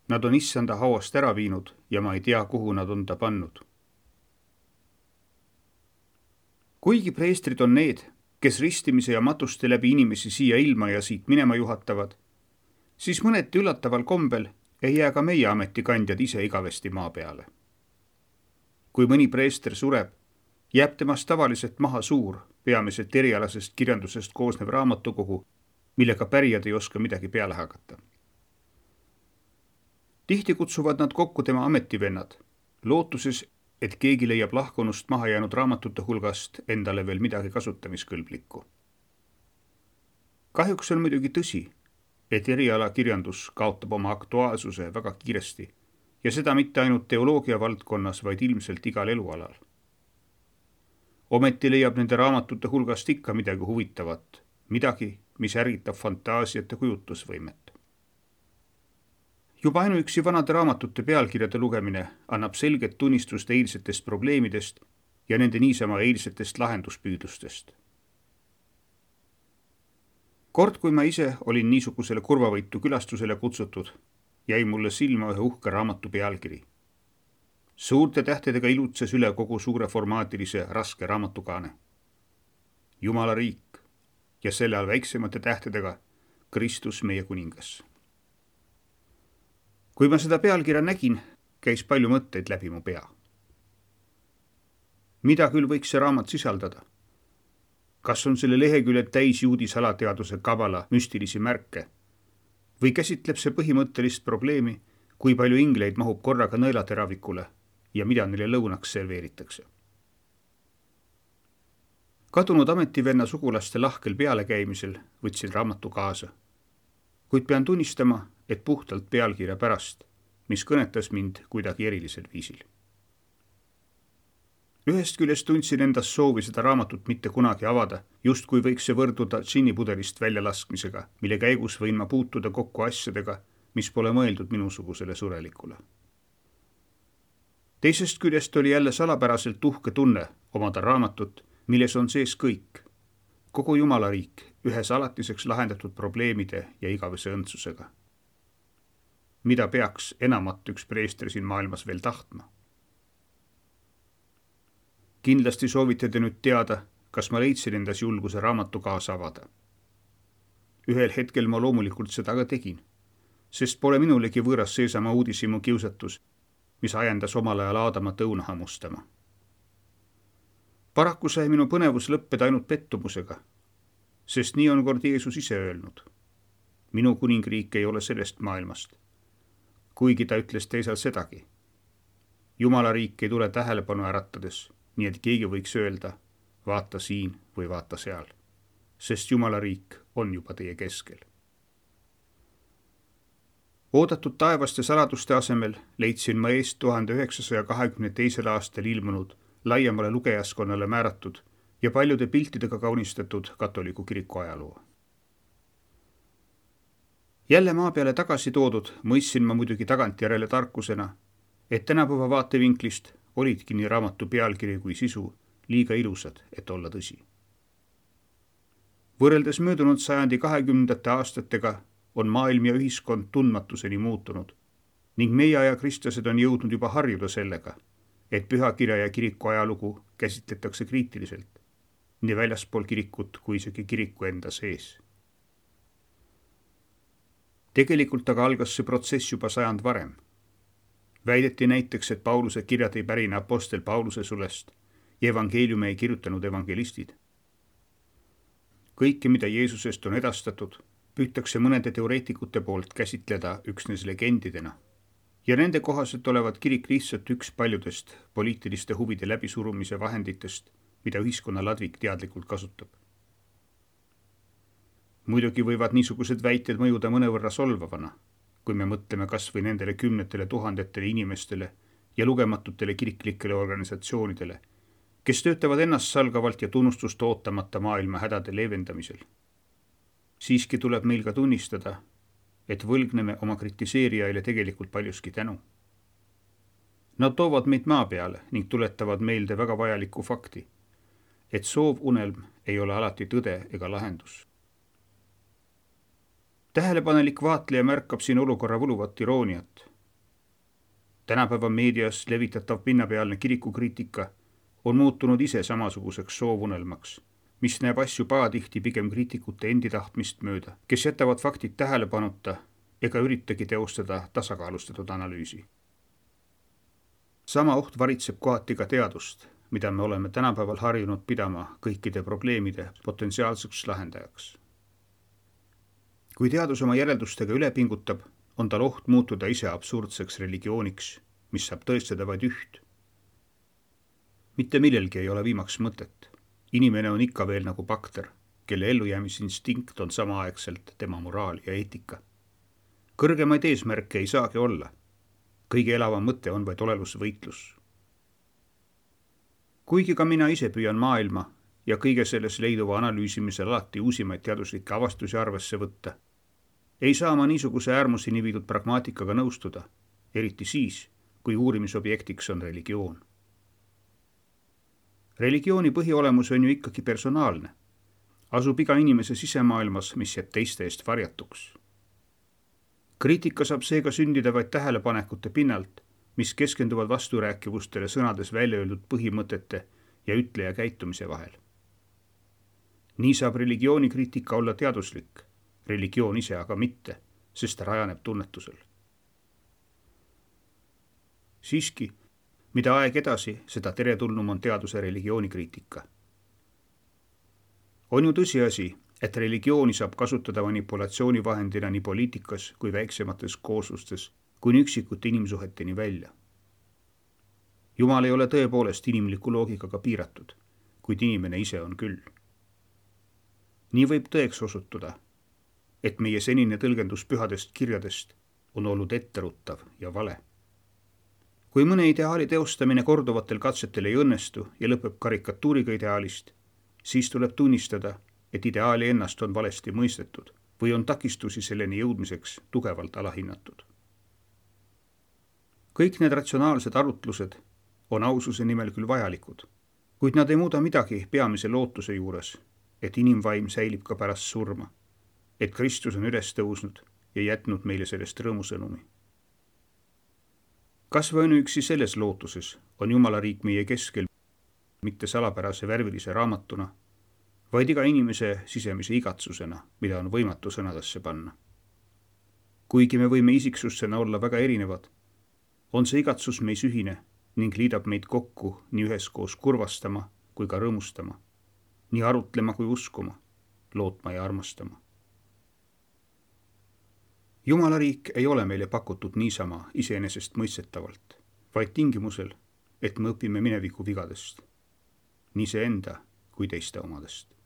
Nad on issanda hauast ära viinud ja ma ei tea, kuhu nad on ta pannud. Kuigi preestrid on need, kes ristimise ja matuste läbi inimesi siia ilma ja siit minema juhatavad, siis mõneti üllataval kombel ei jää ka meie ametikandjad ise igavesti maa peale. Kui mõni preester sureb, jääb temast tavaliselt maha suur, peamiselt erialasest kirjandusest koosnev raamatukogu, millega pärijad ei oska midagi peale hakata. Tihti kutsuvad nad kokku tema ametivennad, lootuses, et keegi leiab lahkunust maha jäänud raamatute hulgast endale veel midagi kasutamiskõlblikku. Kahjuks on muidugi tõsi, et erialakirjandus kaotab oma aktuaalsuse väga kiiresti ja seda mitte ainult teoloogia valdkonnas, vaid ilmselt igal elualal. Ometi leiab nende raamatute hulgast ikka midagi huvitavat, midagi, mis ärgitab fantaasiat ja kujutlusvõimet. Juba ainuüksi vanade raamatute pealkirjade lugemine annab selget tunnistust eilsetest probleemidest ja nende niisama eilsetest lahenduspüüdlustest. Kord, kui ma ise olin niisugusele kurvavõitu külastusele kutsutud, jäi mulle silma ühe uhke raamatu pealkiri. Suurte tähtedega ilutses üle kogu suure formaatilise raske raamatukaane. Jumala riik ja selle all väiksemate tähtedega Kristus meie kuningas. Kui ma seda pealkirja nägin, käis palju mõtteid läbi mu pea. Mida küll võiks see raamat sisaldada? Kas on selle leheküljed täis juudi salateaduse kabala müstilisi märke? Või käsitleb see põhimõttelist probleemi, kui palju ingleid mahub korraga nõelateravikule ja mida neile lõunaks serveeritakse? Kadunud ametivenna sugulaste lahkel pealekäimisel võtsin raamatu kaasa. Kuid pean tunnistama, et puhtalt pealkirja pärast, mis kõnetas mind kuidagi erilisel viisil. Ühest küljest tundsin endas soovi seda raamatut mitte kunagi avada, just kui võiks see võrduda džinnipudelist väljalaskmisega, mille käigus võin ma puutuda kokku asjadega, mis pole mõeldud minusugusele surelikule. Teisest küljest oli jälle salapäraselt uhke tunne omada raamatut, milles on sees kõik, kogu Jumala riik, ühes alatiseks lahendatud probleemide ja igavese õndsusega. Mida peaks enamat üks preester siin maailmas veel tahtma? Kindlasti soovite te nüüd teada, kas ma leidsin endas julguse raamatu kaasa avada. Ühel hetkel ma loomulikult seda ka tegin, sest pole minulegi võõras seesama uudishimu kiusatus, mis ajendas omal ajal Aadamat õuna hammustama. Paraku sai minu põnevus lõppeda ainult pettumusega, sest nii on kord Jeesus ise öelnud. Minu kuningriik ei ole sellest maailmast. Kuigi ta ütles teisal sedagi. Jumala riik ei tule tähelepanu äratades, nii et keegi võiks öelda, vaata siin või vaata seal, sest Jumala riik on juba teie keskel. Oodatud taevaste saladuste asemel leidsin ma eest 1922. aastal ilmunud, laiemale lugejaskonnale määratud ja paljude piltidega kaunistatud katoliku kiriku ajaloo. Jälle maa peale tagasi toodud mõistsin ma muidugi tagantjärele tarkusena, et tänapäeva vaatevinklist olidki nii raamatu pealkiri kui sisu liiga ilusad, et olla tõsi. Võrreldes möödunud sajandi 20. aastatega on maailm ja ühiskond tundmatuseni muutunud ning meie aja kristlased on jõudnud juba harjuda sellega, et pühakirja ja kiriku ajalugu käsitletakse kriitiliselt, nii väljaspool kirikut kui isegi kiriku enda sees. Tegelikult aga algas see protsess juba sajand varem. Väideti näiteks, et Pauluse kirjad ei pärine apostel Pauluse sulest ja evangeeliume ei kirjutanud evangelistid. Kõike, mida Jeesusest on edastatud, püütakse mõnede teoreetikute poolt käsitleda üksnes legendidena ja nende kohaselt olevat kirik lihtsalt üks paljudest poliitiliste huvide läbisurumise vahenditest, mida ühiskonna ladvik teadlikult kasutab. Muidugi võivad niisugused väited mõjuda mõnevõrra solvavana, kui me mõtleme kas või nendele kümnetele tuhandetele inimestele ja lugematutele kiriklikele organisatsioonidele, kes töötavad ennastsalgavalt ja tunnustust ootamata maailma hädade leevendamisel. Siiski tuleb meil ka tunnistada, et võlgneme oma kritiseerijaile tegelikult paljuski tänu. Nad toovad meid maa peale ning tuletavad meelde väga vajalikku fakti, et soovunelm ei ole alati tõde ega lahendus. Tähelepanelik vaatleja märkab siin olukorra võluvat irooniat, Tänapäeva meedias levitatav pinnapealne kirikukriitika on muutunud ise samasuguseks soovunelmaks, mis näeb asju pahatihti pigem kriitikute endi tahtmist mööda, kes jätavad faktid tähelepanuta ega üritagi teostada tasakaalustatud analüüsi. Sama oht varitseb kohati ka teadust, mida me oleme tänapäeval harjunud pidama kõikide probleemide potentsiaalseks lahendajaks. Kui teadus oma järeldustega üle pingutab, on tal oht muutuda ise absurdseks religiooniks, mis saab tõestada vaid üht. Mitte millelgi ei ole viimaks mõtet. Inimene on ikka veel nagu bakter, kelle ellujäämisinstinkt on samaaegselt tema moraal ja eetika. Kõrgemaid eesmärke ei saagi olla. Kõige elavam mõte on vaid olelusvõitlus. Kuigi ka mina ise püüan maailma ja kõige selles leiduva analüüsimisel alati uusimaid teaduslikke avastusi arvesse võtta, ei saa ma niisuguse äärmuseni viidud pragmaatikaga nõustuda, eriti siis, kui uurimisobjektiks on religioon. Religiooni põhiolemus on ju ikkagi personaalne. Asub iga inimese sisemaailmas, mis jääb teiste eest varjatuks. Kriitika saab seega sündida vaid tähelepanekute pinnalt, mis keskenduvad vasturääkivustele sõnades välja öeldud põhimõtete ja ütleja käitumise vahel. Nii saab religioonikriitika olla teaduslik, religioon ise aga mitte, sest ta rajaneb tunnetusel. Siiski, mida aeg edasi, seda teretulnum on teaduse religiooni-kriitika. On ju tõsiasi, et religiooni saab kasutada manipulatsioonivahendina nii poliitikas kui väiksemates kooslustes, kuni üksikute inimsuheteni välja. Jumal ei ole tõepoolest inimliku loogikaga piiratud, kuid inimene ise on küll. Nii võib tõeks osutuda, et meie senine tõlgendus pühadest kirjadest on olnud etteruttav ja vale. Kui mõne ideaali teostamine korduvatel katsetel ei õnnestu ja lõpeb karikatuuriga ideaalist, siis tuleb tunnistada, et ideaali ennast on valesti mõistetud või on takistusi selleni jõudmiseks tugevalt alahinnatud. Kõik need ratsionaalsed arutlused on aususe nimel küll vajalikud, kuid nad ei muuda midagi peamise lootuse juures, et inimvaim säilib ka pärast surma, et Kristus on üles tõusnud ja jätnud meile sellest rõõmusõnumi. Kas või ainuüksi selles lootuses on Jumala riik meie keskel mitte salapärase värvilise raamatuna, vaid iga inimese sisemise igatsusena, mida on võimatu sõnadesse panna. Kuigi me võime isiksusena olla väga erinevad, on see igatsus meis ühine ning liidab meid kokku nii üheskoos kurvastama kui ka rõõmustama, nii arutlema kui uskuma, lootma ja armastama. Jumala riik ei ole meile pakutud niisama iseenesest mõistetavalt, vaid tingimusel, et me õpime mineviku vigadest, nii see enda kui teiste omadest.